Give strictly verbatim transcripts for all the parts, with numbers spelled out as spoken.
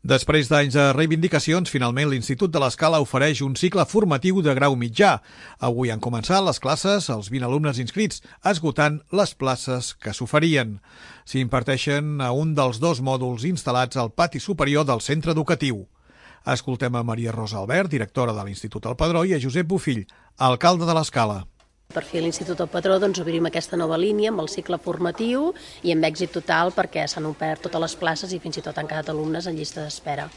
Després d'anys de reivindicacions, finalment l'Institut de l'Escala ofereix un cicle formatiu de grau mitjà. Avui han començat les classes als vint alumnes inscrits, esgotant les places que s'oferien. S'hi imparteixen a un dels dos mòduls instal·lats al pati superior del centre educatiu. Escoltem a Maria Rosa Albert, directora de l'Institut El Padró, i a Josep Bofill, alcalde de l'Escala. Per fi a l'Institut El Padró doncs, obrim aquesta nova línia amb el cicle formatiu i amb èxit total perquè s'han omplert totes les places i fins i tot han quedat alumnes en llista d'espera.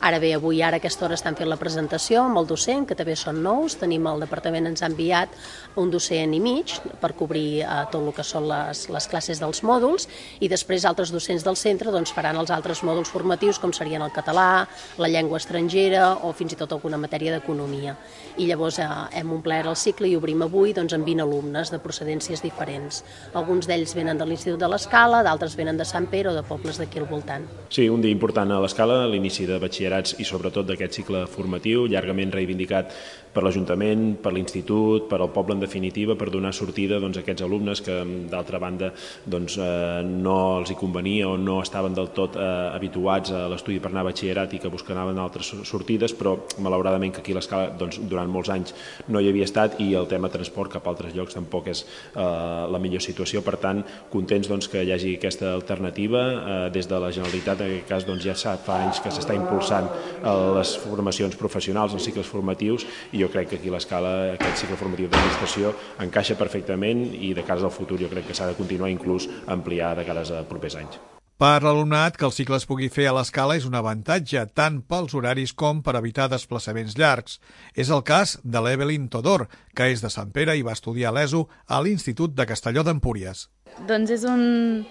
Ara bé, avui ara a aquesta hora estan fent la presentació amb el docent, que també són nous. Tenim el departament ens ha enviat un docent i mig per cobrir eh, tot el que són les, les classes dels mòduls i després altres docents del centre doncs, faran els altres mòduls formatius com serien el català, la llengua estrangera o fins i tot alguna matèria d'economia. I llavors eh, hem omplert el cicle i obrim avui doncs, amb vint alumnes de procedències diferents. Alguns d'ells venen de l'Institut de l'Escala, d'altres venen de Sant Pere o de pobles d'aquí al voltant. Sí, un dia important a l'Escala, l'inici de batxillerat i sobretot d'aquest cicle formatiu, llargament reivindicat per l'Ajuntament, per l'Institut, per al poble en definitiva, per donar sortida doncs, a aquests alumnes que d'altra banda doncs, eh, no els hi convenia o no estaven del tot eh, habituats a l'estudi per anar a batxillerat i que buscaven altres sortides, però malauradament que aquí a l'Escala doncs, durant molts anys no hi havia estat i el tema transport cap a altres llocs tampoc és eh, la millor situació. Per tant, contents doncs, que hi hagi aquesta alternativa eh, des de la Generalitat, en aquest cas doncs, ja fa anys que s'està impulsant les formacions professionals, els cicles formatius, i jo crec que aquí a l'Escala aquest cicle formatiu d'administració encaixa perfectament i de cara al futur jo crec que s'ha de continuar inclús ampliar de cara a propers anys. Per l'alumnat, que el cicle es pugui fer a l'Escala és un avantatge tant pels horaris com per evitar desplaçaments llargs. És el cas de l'Evelyn Todor, que és de Sant Pere i va estudiar a l'E S O a l'Institut de Castelló d'Empúries. Doncs és un,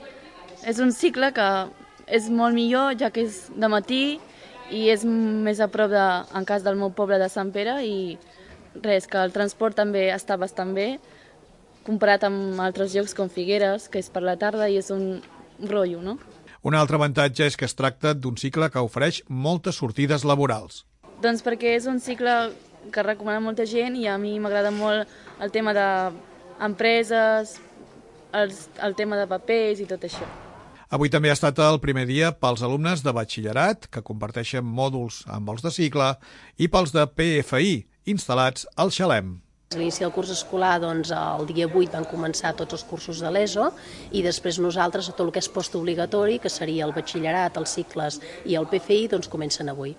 és un cicle que és molt millor, ja que és de matí i és més a prop, de, en cas del meu poble de Sant Pere, i res, que el transport també està bastant bé, comparat amb altres llocs com Figueres, que és per la tarda i és un rotllo, no? Un altre avantatge és que es tracta d'un cicle que ofereix moltes sortides laborals. Doncs perquè és un cicle que recomana molta gent i a mi m'agrada molt el tema d'empreses, el, el tema de papers i tot això. Avui també ha estat el primer dia pels alumnes de batxillerat, que comparteixen mòduls amb els de cicle, i pels de P F I, instal·lats al Xalem. A l'inici del curs escolar, doncs, el dia vuit van començar tots els cursos de l'E S O i després nosaltres, tot el que és postobligatori, que seria el batxillerat, els cicles i el P F I, doncs comencen avui.